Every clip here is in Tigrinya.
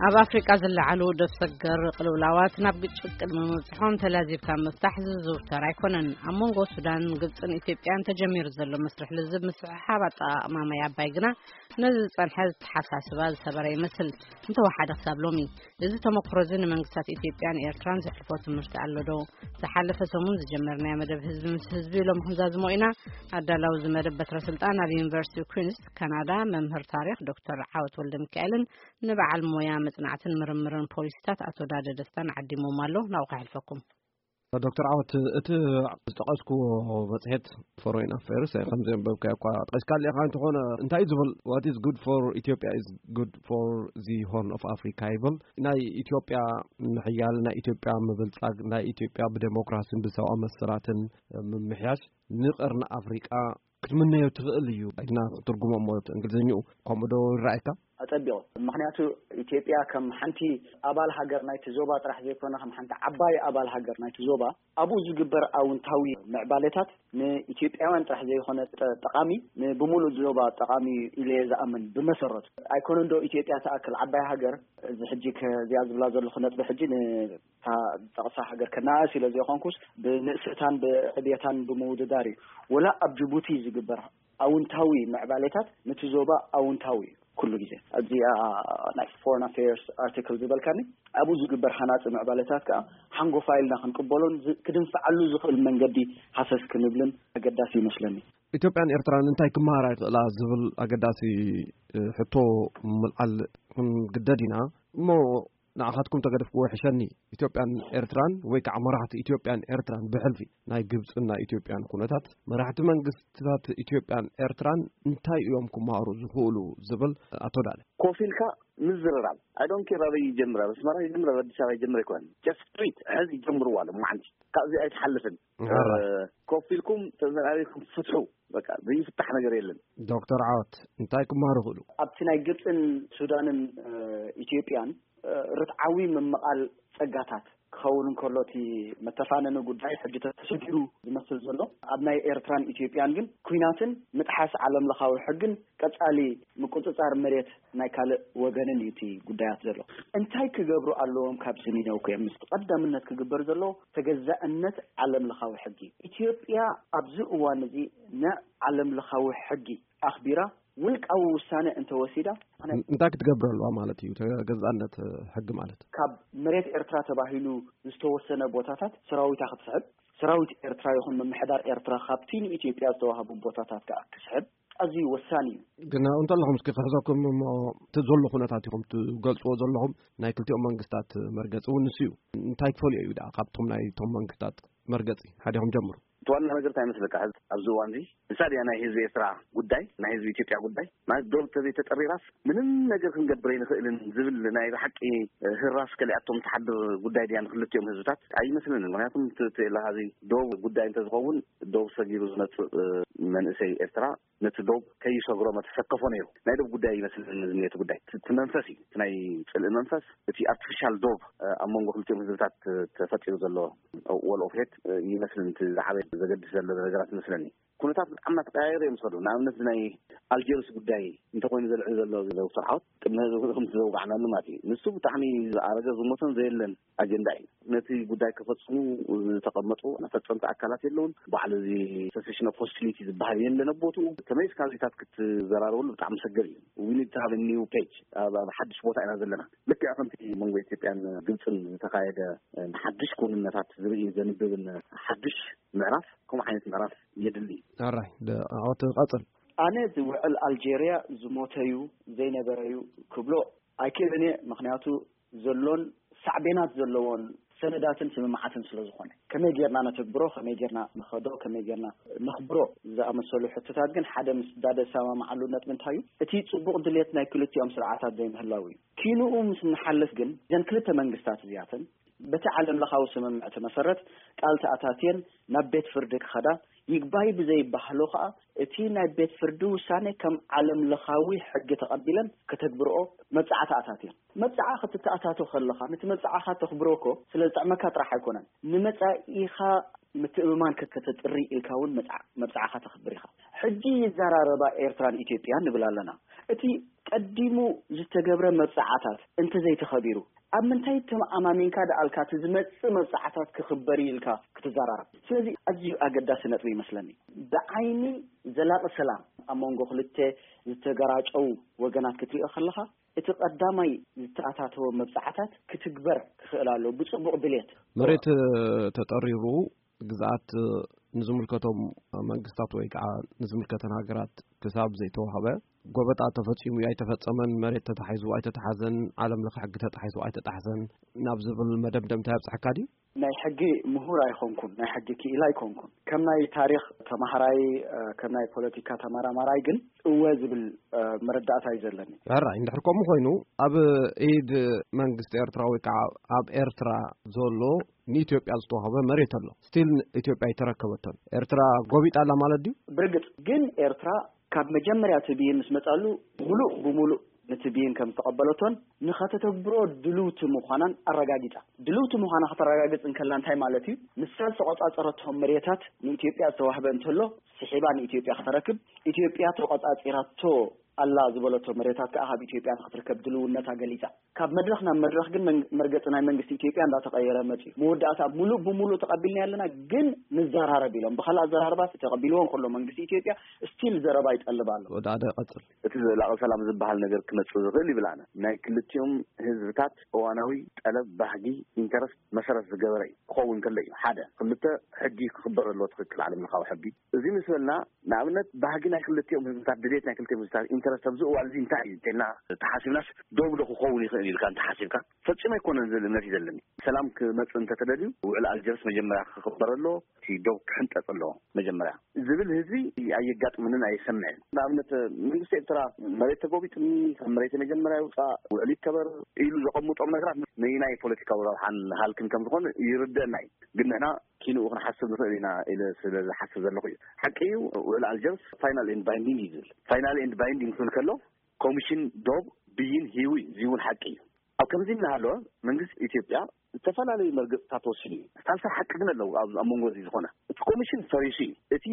ኣብ ኣፍሪቃ ዝለዓሉ ደብ ሰገር ቅልውላዋት ናብ ግጭት ቅድሚ ምብጽሖም ተላዚብካ ምፍታሕ ዝዝውተር ኣይኮነን። ኣብ መንጎ ሱዳን፣ ግብጽን ኢትዮጵያን ተጀሚሩ ዘሎ መስርሕ ልዝብ ምስሕሓብ ኣጠቓቕማ ማይ ኣባይ ግና ነዚ ዝጸንሐ ዝተሓሳስባ ዝሰበረ ይመስል። እንተወሓደ ክሳብ ሎሚ፣ እዚ ተመክሮ እዚ ንመንግስታት ኢትዮጵያን ኤርትራን ዘሕልፎ ትምህርቲ ኣሎ ዶ? ዝሓለፈ ሰሙን ዝጀመርናዮ መደብ ህዝቢ ምስ ህዝቢ ሎም ክንዛዝሞ ኢና። ኣዳላዊ እዚ መደብ በትረ ስልጣን ኣብ ዩኒቨርሲቲ ኩንስ ካናዳ መምህር ታሪኽ ዶክተር ዓወት ወልደ ሚካኤልን ንበዓል ሞያ መጽናዕትን ምርምርን ፖሊሲታት ኣቶ ዳደ ደስታን ዓዲሞም ኣሎ። ናብኡ ከሕልፈኩም። ዶክተር ዓወት፣ እቲ ዝጠቐስክዎ መጽሔት ፎሬን ኣፌርስ፣ ከም ዘንበብካዮ እኳ ጠቒስካሉ ኢኻ፣ እንተኾነ እንታይ እዩ ዝብል? What is good for Ethiopia is good for the Horn of Africa ይብል። ናይ ኢትዮጵያ ምሕያል፣ ናይ ኢትዮጵያ ምብልጻግ፣ ናይ ኢትዮጵያ ብዴሞክራሲን ብሰብኣዊ መሰላትን ምምሕያሽ ንቀርኒ ኣፍሪቃ ክትምነዮ ትኽእል እዩ ኢልና ክትርጉሞ እሞ፣ እንግሊዝኛኡ ከምኡ ዶ ይረኣየካ? ኣጸቢቑ። ምኽንያቱ፣ ኢትዮጵያ ከም ሓንቲ ኣባል ሃገር ናይቲ ዞባ ጥራሕ ዘይኮነ፣ ከም ሓንቲ ዓባይ ኣባል ሃገር ናይቲ ዞባ፣ ኣብኡ ዝግበር ኣውንታዊ ምዕባለታት ንኢትዮጵያውያን ጥራሕ ዘይኮነ ጠ-፣ ጠቓሚ፣ ንብምሉእ ዞባ ጠቓሚ ኢለ እየ ዝኣምን። ብመሰረቱ፣ ኣይኮነን ዶ ኢትዮጵያ ትኣክል ዓባይ ሃገር፣ እዚ ሕጂ ከ-፣ እዚኣ ዝብላ ዘለኹ ነጥቢ ሕጂ ን-፣ እታ ዝጠቕሳ ሃገር ከነኣእስ ኢለ ዘይኮንኩስ፣ ብንእሰታን ብዕብየታን ብምውድዳር እዩ። ወላ ኣብ ጅቡቲ ዝግበር ኣውንታዊ ምዕባሌታት ነቲ ዞባ ኣውንታዊ እዩ። ኩሉ ግዜ ኣብዚኣ ናይ ፎረን ኣፌርስ ኣርቲክል ዝበልካኒ፣ ኣብኡ ዝግበር ሃናፂ ምዕባሌታት ከዓ ሓንጎፋይ ኢልና ክንቅበሎን ዝ-፣ ክድንፍዓሉ ዝኽእል መንገዲ ሃሰስ ክንብልን ኣገዳሲ ይመስለኒ። ኢትዮጵያን ኤርትራን እንታይ ክመሃራ ይኽእላ ዝብል ኣገዳሲ፣ እ፣ ሕቶ ምልዓል ክንግደድ ኢና። እሞ ንዓኻትኩም ተገደፍክዎ ይሕሸኒ። ኢትዮጵያን ኤርትራን ወይ ከዓ መራሕቲ ኢትዮጵያን ኤርትራን ብሕልፊ ናይ ግብፅን ናይ ኢትዮጵያን ኩነታት፣ መራሕቲ መንግስትታት ኢትዮጵያን ኤርትራን እንታይ እዮም ክመሃሩ ዝኽእሉ ዝብል ኣቶ ዳለ። ኮፍ ኢልካ ምዝርራብ። I don't care ኣበይ ይጀምር፣ ኣብ ኣስመራ ይጀምር፣ ኣብ ኣዲስ ኣበባ ይጀምር ኣይኮነን። Just do it። ሕዚ ይጀምርዋ ሎማዓንቲ። ካብዚ ኣይትሓልፍን። ሕራይ። እ፣ ኮፍ ኢልኩም ተዘራሪብኩም ፍትሑ። በቃ ዘይፍታሕ ነገር የለን። ዶክተር ዓወት፣ እንታይ ክመሃሩ ይኽእሉ? ኣብቲ ናይ ግብፅን ሱዳንን፣ እ፣ ኢትዮጵያን፣ እ፣ ርትዓዊ ምምቓል ጸጋታት ክኸውን እንከሎ፣ እቲ መተፋነኒ ጉዳይ ሕጂ ተሰጊሩ ዝመስል ዘሎ፣ ኣብ ናይ ኤርትራን ኢትዮጵያን ግን ኲናትን ምጥሓስ ዓለም ለኻዊ ሕግን ቀጻሊ ምቁጽጻር መሬት ናይ ካልእ ወገንን እዩ እቲ ጉዳያት ዘሎ። እንታይ ክገብሩ ኣለዎም? ካብዚ ንነውኩ እዮም። ምስ ቀዳምነት ክግበር ዘለዎ ተገዛእነት ዓለም ለኻዊ ሕጊ። ኢትዮጵያ ኣብዚ እዋን እዚ ንዓለም ለኻዊ ሕጊ ኣኽቢራ ውልቃዊ ውሳነ እንተወሲዳ፣ እንታይ ክትገብር ኣለዋ ማለት እዩ? ተገዛእነት ሕጊ ማለት ካብ መሬት ኤርትራ ተባሂሉ ዝተወሰነ ቦታታት ሰራዊታ ክትስሕብ፣ ሰራዊት ኤርትራ ይኹን ምምሕዳር ኤርትራ ካብቲ ንኢትዮጵያ ዝተዋህቡ ቦታታት ከዓ ክስሕብ ኣዝዩ ወሳኒ እዩ። ግን እንተለኹም እስኪ ክሕዘኩም እሞ፣ እቲ ዘሎ ኩነታት ኢኹም ትገልጽዎ ዘለኹም፣ ናይ ክልቲኦም መንግስታት መርገጺ እውን ንሱ እዩ። እንታይ ክፈልዮ እዩ ደኣ ካብቶም ናይቶም መንግስታት መርገጺ? ሓዲኹም ጀምሩ። እቲ ዋና ነገር እንታይ ይመስለካ? ሕዚ ኣብዚ እዋን እዚ ንሳ ድያ ናይ ህዝቢ ኤርትራ ጉዳይ፣ ናይ ህዝቢ ኢትዮጵያ ጉዳይ? ማለት ዶብ ተዘይተጠሪራስ ምንም ነገር ክንገብር ኣይንኽእልን ዝብል ናይ ብሓቂ ህራስ ከሊኣቶም ትሓድር ጉዳይ ድያ ንክልቲኦም ህዝብታት? ኣይመስለንን። ምክንያቱም እቲ፣ እቲ ኢልካ እዚ ዶብ ጉዳይ እንተዝኸውን፣ ዶብ ሰጊሩ ዝመጽእ፣ እ፣ መንእሰይ ኤርትራ ነቲ ዶብ ከይሰግሮ መተሰከፎ ነይሩ። ናይ ዶብ ጉዳይ ይመስለኒ እዚ ነቲ ጉዳይ። እቲ፣ እቲ መንፈስ እዩ። እቲ ናይ ጽልኢ መንፈስ፣ እቲ ኣርቲፊሻል ዶብ፣ እ፣ ኣብ መንጎ ክልቲኦም ህዝብታት ተፈጢሩ ዘሎ ወል ኦፍ ሄት፣ እ፣ ይመስለኒ እቲ ዝዓበየ ዘገድስ ዘሎ ነገራት ይመስለኒ። ኩነታት ብጣዕሚ እናተቀያየሩ እዮም ዝኸዱ። ንኣብነት ናይ ኣልጀርስ ጉዳይ እንተኮይኑ ዘልዕል ዘሎ ዶክተር ዓወት፣ ቅድሚ ሕዚ ከምቲ ዘውጋዕናሉ ማለት እዩ። ንሱ ብጣዕሚ ዝኣረገ ዝሞተን ዘየለን ኣጀንዳ እዩ። ነቲ ጉዳይ ከፈጽሙ ዝተቐመጡ ፈጸምቲ ኣካላት የለውን። ባዕሉ እዚ ሰሴሽን ኦፍ ሆስቲሊቲ ዝበሃል የለን ኣብ ቦትኡ። ተመሊስካ ዜታት ክትዘራረበሉ ብጣዕሚ ሰገር እዩ። We need to have a new page። ኣብ፣ ኣብ ሓድሽ ቦታ ኢና ዘለና። ልክዕ ከምቲ መንጎ ኢትዮጵያን ግብፅን ዝተኻየደ፣ እ፣ ንሓድሽ ክውንነታት ዝርኢ ዘንብብን ሓድሽ ምዕራፍ፣ ከምኡ ዓይነት ምዕራፍ የድሊ። ኣራይ፣ ደ-፣ ዓወት ቀጽል። ኣነ ዝውዕል ኣልጄርያ ዝሞተዩ ዘይነበረዩ ክብሎ ኣይክእልን እየ። ምኽንያቱ ዘሎን ሳዕቤናት ዘለዎን ሰነዳትን ስምምዓትን ስለ ዝኾነ፣ ከመይ ጌርና ነተግብሮ፣ ከመይ ጌርና ንኸዶ፣ ከመይ ጌርና ነኽብሮ ዝኣመሰሉ ሕቶታት ግን ሓደ ምስ ዳደ ዝሰማምዓሉ ነጥቢ እንታይ እዩ? እቲ ጽቡቕ ድሌት ናይ ክልቲኦም ስርዓታት ዘይምህላው እዩ። ኪንኡ ምስ ንሓልፍ ግን፣ እዘን ክልተ መንግስታት እዚኣተን በቲ ዓለም ለኻዊ ስምምዕቲ መሰረት ቃል ተኣታትየን ናብ ቤት ፍርዲ ክኸዳ፣ ይግባይ ብዘይባህሎ ኸኣ እቲ ናይ ቤት ፍርዲ ውሳኔ ከም ዓለም ለኻዊ ሕጊ ተቐቢለን ከተግብርኦ መብጽዓ ተኣታትየን። መብጽዓ ክትተኣታቶ ከለኻ፣ ነቲ መብጽዓኻ ተኽብሮ እኮ ስለ ዝጥዕመካ ጥራሕ ኣይኮነን፣ ንመጻኢኻ ምትእምማን ከ-፣ ከተጥሪ ኢልካ እውን መብጽዓ-፣ መብጽዓኻ ተኽብር ኢኻ። ሕጂ ይዘራረባ ኤርትራን ኢትዮጵያን ንብል ኣለና። እቲ ቀዲሙ ዝተገብረ መብጻዓታት እንተዘይተኸቢሩ፣ ኣብ ምንታይ ተመኣማሚንካ ደኣልካ እቲ ዝመጽእ መብጻዓታት ክኽበር ኢልካ ክትዘራረብ? ስለዚ ኣዝዩ ኣገዳሲ ነጥቢ ይመስለኒ። ብዓይኒ ዘላቒ ሰላም ኣብ መንጎ ክልተ ዝተገራጨው ወገናት ክትሪኦ ከለኻ፣ እቲ ቀዳማይ ዝተኣታተወ መብጻዓታት ክትግበር ክኽእል ኣለዎ፣ ብጽቡቕ ድሌት። መሬት ተጠሪሩ ግዝኣት ንዝምልከቶም መንግስታት ወይ ከዓ ንዝምልከተን ሃገራት ክሳብ ዘይተዋህበ፣ ጎበጣ ተፈጺሙ ኣይተፈጸመን፣ መሬት ተታሒዙ ኣይተታሓዘን፣ ዓለም ለኸ ሕጊ ተጣሒሱ ኣይተጣሕሰን ናብ ዝብል መደምደምታ ይብጽሐካ ድዩ? ናይ ሕጊ ምሁር ኣይኮንኩን፣ ናይ ሕጊ ክኢላ ኣይኮንኩን። ከም ናይ ታሪኽ ተማሃራይ፣ ከም ናይ ፖለቲካ ተመራማራይ ግን እወ ዝብል መረዳእታ እዩ ዘለኒ። ሕራይ እንድሕር ከምኡ ኮይኑ፣ ኣብ ኢድ መንግስቲ ኤርትራ ወይ ከዓ ኣብ ኤርትራ ዘሎ ንኢትዮጵያ ዝተዋህበ መሬት ኣሎ። ስቲል ኢትዮጵያ ኣይተረከበቶን። ኤርትራ ጎቢጣ ኣላ ማለት ድዩ? ብርግጽ ግን ኤርትራ ካብ መጀመርያ እቲ ብይን ምስ መጻሉ ሙሉእ ብሙሉእ ነቲ ብይን ከም ዝተቐበለቶን ንኸተተግብሮ ድልውቲ ምዃናን ኣረጋጊጻ። ድልውቲ ምዃና ከተረጋግጽ እንከላ እንታይ ማለት እዩ? ንሳ ዝተቖጻጸረቶም መሬታት ንኢትዮጵያ ዝተዋህበ እንተሎ ስሒባ ንኢትዮጵያ ከተረክብ፣ ኢትዮጵያ ተቖጻጺራቶ ኣላ ዝበለቶ መሬታት ከኣ ካብ ኢትዮጵያ ንክትርከብ ድልውነታ ገሊጻ። ካብ መድረኽ ናብ መድረኽ ግን መርገጺ ናይ መንግስቲ ኢትዮጵያ እንዳተቐየረ መጺኡ። መወዳእታ ሙሉእ ብሙሉእ ተቐቢልና ኣለና ግን ንዘራረብ ኢሎም። ብኻልእ ኣዘራርባ ተቐቢልዎ እንከሎ መንግስቲ ኢትዮጵያ ስቲል ዘረባ ይጠልብ ኣሎ። ወደ ኣደ ቀጽል። እቲ ዘላቒ ሰላም ዝበሃል ነገር ክመጽእ ዝኽእል ይብል ኣነ ናይ ክልቲኦም ህዝብታት እዋናዊ ጠለብ፣ ባህጊ፣ ኢንተረስት መሰረት ዝገበረ እዩ ክኸውን ከሎ እዩ። ሓደ። ክልተ። ሕጊ ክኽበር ኣለዎ፣ ትኽክል፣ ዓለም ለኻዊ ሕጊ። እዚ ምስ በልና ንኣብነት ባህጊ ናይ ክልቲኦም ህዝብታት፣ ድሌት ናይ ክልቲኦም ህዝብታት ኢንተረስት ኣብዚ እዋን እዚ እንታይ እዩ እንተልና ተሓሲብናስ ዶብ ዶ ክኸውን ይኽእል ኢልካ እንተሓሲብካ ፈጺሙ ኣይኮነን ዝብል እምነት እዩ ዘለኒ። ሰላም ክመጽእ እንተተደልዩ ውዕል ኣልጀርስ መጀመርያ ክኽበር ኣለዎ፣ እቲ ዶብ ክሕንጠጽ ኣለዎ መጀመርያ ዝብል ህዝቢ ኣየጋጥምንን ኣየሰምዕን። ንኣብነት መንግስቲ ኤርትራ መሬት ተጎቢጥኒ፣ ካብ መሬት መጀመርያ ይውፃእ፣ ውዕል ይከበር ኢሉ ዘቐምጦም ነገራት ነይናይ ፖለቲካዊ ረብሓን ሃልክን ከም ዝኾነ ይርደእና እዩ። ግን ንሕና ኪንኡ ክንሓስብ ንኽእል ኢና ኢለ ስለ ዝሓስብ ዘለኹ እዩ። ሓቂ እዩ፣ ውዕል ኣልጀርስ ፋይናል ኤንድ ባይንዲንግ እዩ ዝብል። ፋይናል ኤንድ ባይንዲንግ ክብል ከሎ ኮሚሽን ዶብ ብይን ሂቡ እዩ። እዚ እውን ሓቂ እዩ። ኣብ ከምዚ እናሃለወ መንግስቲ ኢትዮጵያ ዝተፈላለዩ መርገፅታት ወሲዱ እዩ። ሳልሳይ ሓቂ ግን ኣለዉ። ኣብ ኣብ መንጎ እዚ ዝኾነ እቲ ኮሚሽን ፈሪሱ እዩ። እቲ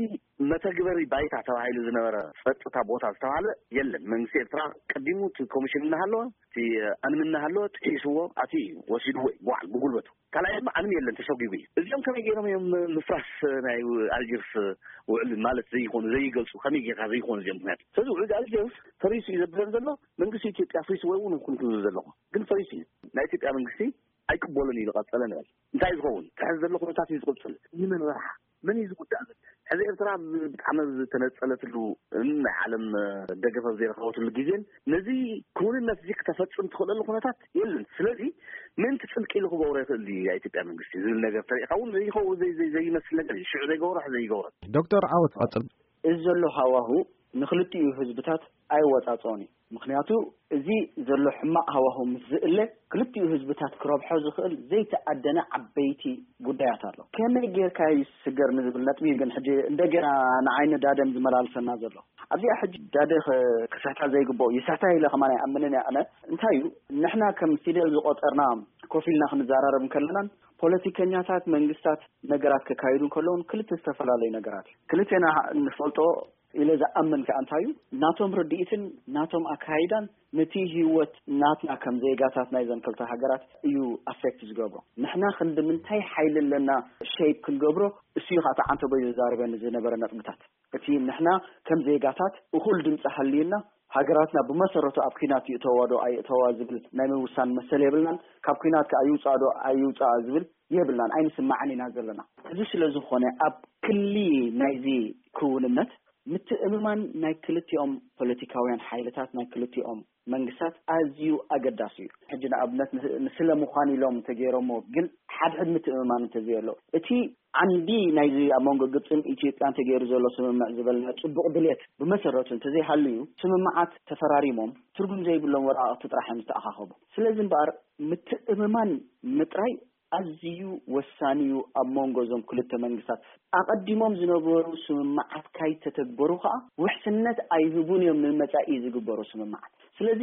መተግበሪ ባይታ ተባሂሉ ዝነበረ ጸጥታ ቦታ ዝተባህለ የለን። መንግስቲ ኤርትራ ቀዲሙ እቲ ኮሚሽን እናሃለወ እቲ ኣንም እናሃለወ ጥሒስዎ ኣትዩ እዩ፣ ወሲድዎ እዩ ብባዕሉ ብጉልበቱ። ካልኣይ ድማ ኣንም የለን፣ ተሰጒጉ እዩ። እዚኦም ከመይ ገይሮም እዮም ምፍራስ ናይ ኣልጀርስ ውዕል ማለት ዘይኮኑ ዘይገልጹ ከመይ ጌርካ ዘይኮኑ እዚኦም ምክንያት ስለዚ ውዕል ኣልጀርስ ፈሪሱ እዩ ዘብለን ዘሎ መንግስቲ ኢትዮጵያ ፍሪሱ ወይ እውን ኩን ክብል ዘለኹ ግን ፈሪሱ እዩ። ናይ ኢትዮጵያ መንግስቲ ኣይቅበሉን እዩ ዝቐጸለ ንበል። እንታይ ዝኸውን? ትሕዚ ዘሎ ኩነታት እዩ ዝቕጽል። ንመን ረብሓ? መን እዩ ዝጉዳእ ዘሎ? ሕዚ ኤርትራ ብ- ብጣዕሚ ዝተነጸለትሉ ን ናይ ዓለም ደገፍ ኣብ ዘይረኸበትሉ ግዜን ነዚ ክውንነት እዚ ክተፈጽም ትኽእለሉ ኩነታት የለን። ስለዚ ምእንቲ ጽድቂ ኢሉ ክገብሮ ይኽእል እዩ ናይ ኢትዮጵያ መንግስቲ ዝብል ነገር ተሪእኻ እውን ዘይኸውን ዘይ- ዘይ- ዘይመስል ነገር እዩ። ሽዑ ዘይገብሮ ሕዚ ዘይገብሮ። ዶክተር ዓወት ቀጽል። እዚ ዘሎ ሃዋሁ ንክልቲኡ ህዝብታት ኣይወጻጸኦን እዩ። ምክንያቱ እዚ ዘሎ ሕማቕ ሃዋሁ ምስ ዝእለ ክልቲኡ ህዝብታት ክረብሖ ዝኽእል ዘይተኣደነ ዓበይቲ ጉዳያት ኣሎ። ከመይ ጌርካ ይስገር ንዝብል ነጥቢ እዩ ግን ሕጂ እንደገና ንዓይኒ ዳደም ዝመላልሰና ዘሎ። ኣብዚኣ ሕጂ ዳደ ከ- ክስሕታ ዘይግብኦ ይስሕታ ኢለ ከማን ኣይኣምንን እያ። ኣነ እንታይ እዩ ንሕና ከም ፊደል ዝቆጠርና ኮፍ ኢልና ክንዘራረብ እንከለናን ፖለቲከኛታት መንግስታት ነገራት ከካይዱ እንከለውን ክልተ ዝተፈላለዩ ነገራት እዩ። ክልቴና ንፈልጦ ኢለ ዝኣምን ከኣ እንታይ እዩ ናቶም ርድኢትን ናቶም ኣካይዳን ነቲ ህይወት ናትና ከም ዜጋታት ናይዘን ክልተ ሃገራት እዩ ኣፌክት ዝገብሮ። ንሕና ክንዲ ምንታይ ሓይሊ ኣለና ሸይፕ ክንገብሮ እሱ እዩ ከዓ ተዓንተቦይ ዘዛርበኒ ዝነበረ ነጥብታት። እቲ ንሕና ከም ዜጋታት እኹል ድምፂ ሃልዩና ሃገራትና ብመሰረቱ ኣብ ኲናት ይእተዋ ዶ ኣይእተዋ ዝብል ናይ ምውሳን መሰል የብልናን። ካብ ኲናት ከዓ ይውፃእ ዶ ኣይውፃእ ዝብል የብልናን፣ ኣይንስማዕን ኢና ዘለና። እዚ ስለ ዝኾነ ኣብ ክሊ ናይዚ ክውንነት ምትእምማን ናይ ክልቲኦም ፖለቲካውያን ሓይልታት ናይ ክልቲኦም መንግስታት ኣዝዩ ኣገዳሲ እዩ። ሕጂ ንኣብነት ን- ንስለ ምዃን ኢሎም እንተገይሮሞ ግን ሓድሕድ ምትእምማን እንተዘየሎ እቲ ዓንዲ ናይዚ ኣብ መንጎ ግብፅን ኢትዮጵያን ተገይሩ ዘሎ ስምምዕ ዝበልና ፅቡቕ ድሌት ብመሰረቱ እንተዘይሃልዩ ስምምዓት ተፈራሪሞም ትርጉም ዘይብሎም ወረቓቕቲ ጥራሕ እዮም ዝተኣኻኸቡ። ስለዚ እምበኣር ምትእምማን ምጥራይ ኣዝዩ ወሳኒ እዩ ኣብ መንጎ እዞም ክልተ መንግስታት። ኣቐዲሞም ዝነበሩ ስምምዓት ካይተተግበሩ ከኣ ውሕስነት ኣይህቡን እዮም ንመጻኢ ዝግበሩ ስምምዓት። ስለዚ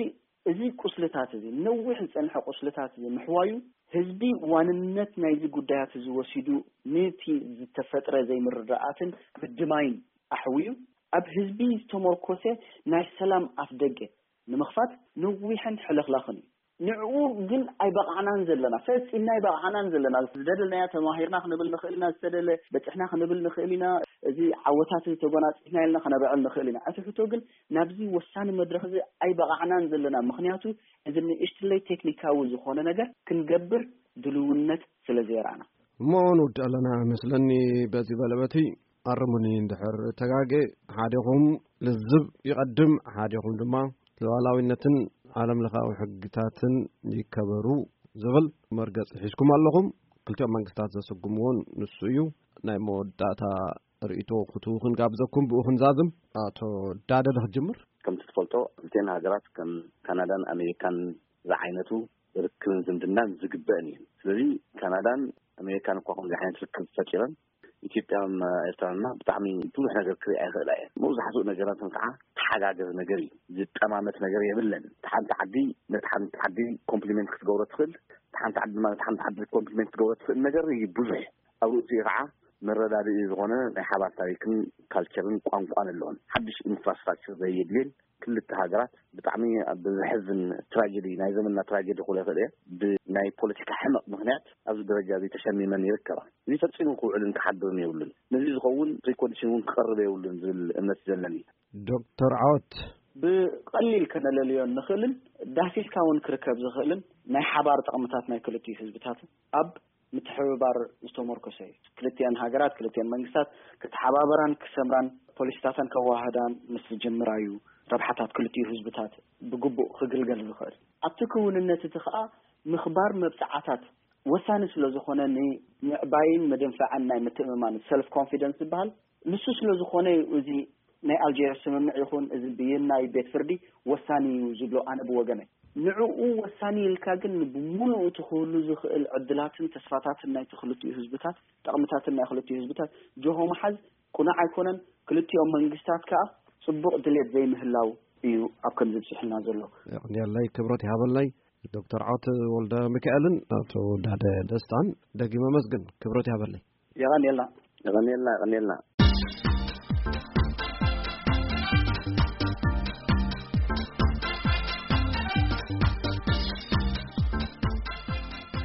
እዚ ቁስልታት እዚ ነዊሕ ዝጸንሐ ቁስልታት እዚ ምሕዋዩ ህዝቢ ዋንነት ናይዚ ጉዳያት እዚ ወሲዱ ነቲ ዝተፈጥረ ዘይምርድዳኣትን ምድማይን ኣሕውዩ ኣብ ህዝቢ ዝተመርኮሰ ናይ ሰላም ኣፍደገ ንምኽፋት ነዊሕን ሕልኽላኽን እዩ። ንዕኡ ግን ኣይበቓዕናን ዘለና፣ ፈጺምና ኣይበቓዕናን ዘለና። ዝደለናያ ተማሂርና ክንብል ንኽእል ኢና፣ ዝተደለ በጺሕና ክንብል ንኽእል ኢና። እዚ ዓወታት ተጎናጺፍና ኢልና ከነብዕል ንኽእል ኢና። እቲ ሕቶ ግን ናብዚ ወሳኒ መድረኽ እዚ ኣይበቓዕናን ዘለና። ምኽንያቱ እዚ ንእሽትለይ ቴክኒካዊ ዝኾነ ነገር ክንገብር ድልውነት ስለ ዘየራና። እሞ ንውድእ ኣለና መስለኒ። በዚ በለበቲ ኣርሙኒ እንድሕር ተጋጌ። ሓዲኹም ልዝብ ይቐድም፣ ሓዲኹም ድማ ሉዓላዊነትን ዓለም ለኻዊ ሕግታትን ይከበሩ ዝብል መርገፂ ሒዝኩም ኣለኹም። ክልቲኦም መንግስታት ዘስጉምዎን ንሱ እዩ። ናይ መወዳእታ ርእይቶ ክትህቡ ክንጋብዘኩም፣ ብኡ ክንዛዝም። ኣቶ ዳደ፣ ዶ ክትጅምር? ከምቲ ትፈልጦ፣ ክልቲኤን ሃገራት ከም ካናዳን ኣሜሪካን ዝዓይነቱ ርክብን ዝምድናን ዝግበእን እዩ። ስለዚ ካናዳን ኣሜሪካን እኳ ከምዚ ዓይነት ርክብ ፈጢረን፣ ኢትዮጵያን ኤርትራንና ብጣዕሚ ብዙሕ ነገር ክሪኣ ይኽእላ እየን። መብዛሕትኡ ነገራተን ከዓ ተሓጋገዝ ነገር እዩ። ዝጠማመት ነገር የብለን። እታ ሓንቲ ዓዲ ነታ ሓንቲ ዓዲ ኮምፕሊመንት ክትገብሮ ትኽእል፣ እታ ሓንቲ ዓዲ ድማ ነታ ሓንቲ ዓዲ ኮምፕሊመንት ክትገብሮ ትኽእል ነገር እዩ ብዙሕ። ኣብ ርእሲኡ ከዓ መረዳድኢ ዝኾነ ናይ ሓባር ታሪክን ካልቸርን ቋንቋን ኣለዎን። ሓድሽ ኢንፍራስትራክቸር ዘየድልየን ክልተ ሃገራት ብጣዕሚ ኣብ ዘሕዝን ትራጀዲ፣ ናይ ዘመንና ትራጀዲ ክብሎ ይኽእል እየ። ብናይ ፖለቲካ ሕመቕ ምኽንያት ኣብዚ ደረጃ እዚ ተሸሚመን ይርከባ። እዚ ፈጺሙ ክውዕልን ክሓድርን የብሉን። ነዚ ዝኸውን ፕሪኮንዲሽን እውን ክቐርብ የብሉን ዝብል እምነት ዘለኒ። ዶክተር ዓወት፣ ብቐሊል ከነለልዮ እንኽእልን ዳህሲስካ እውን ክርከብ ዝኽእልን ናይ ሓባር ጥቕምታት ናይ ክልቲኡ ህዝብታት ኣብ ምትሕብባር ዝተመርኮሰ እዩ። ክልቲኤን ሃገራት፣ ክልቲኤን መንግስታት ክተሓባበራን ክሰምራን ፖሊሲታተን ከዋህዳን ምስ ዝጅምራ እዩ ረብሓታት ክልቲኡ ህዝብታት ብግቡእ ክግልገል ዝኽእል። ኣብቲ ክውንነት እቲ ኸኣ ምኽባር መብጽዓታት ወሳኒ ስለ ዝኾነ፣ ንምዕባይን ምድንፋዕን ናይ ምትእምማን፣ ሰልፍ ኮንፊደንስ ዝበሃል፣ ንሱ ስለ ዝኾነ እዩ እዚ ናይ ኣልጀርስ ስምምዕ ይኹን እዚ ብይን ናይ ቤት ፍርዲ ወሳኒ እዩ ዝብሎ፣ ኣነ ብወገነይ። ንዕኡ ወሳኒ ኢልካ ግን ብሙሉኡ እቲ ክህሉ ዝኽእል ዕድላትን ተስፋታትን ናይቲ ክልቲኡ ህዝብታት፣ ጠቕምታትን ናይ ክልቲኡ ህዝብታት ጆሆ ምሓዝ ቅኑዕ ኣይኮነን። ክልቲኦም መንግስታት ከኣ ጽቡቕ ድሌት ዘይምህላው እዩ ኣብ ከምዚ ብጽሕና ዘሎ። የቕንየለይ፣ ክብረት ይሃበለይ። ዶክተር ዓወት ወልደ ሚካኤልን ኣቶ ዳደ ደስታን ደጊመ መስግን። ክብረት ይሃበለይ። የቐንየልና። የቐንየልና፣ የቐንየልና።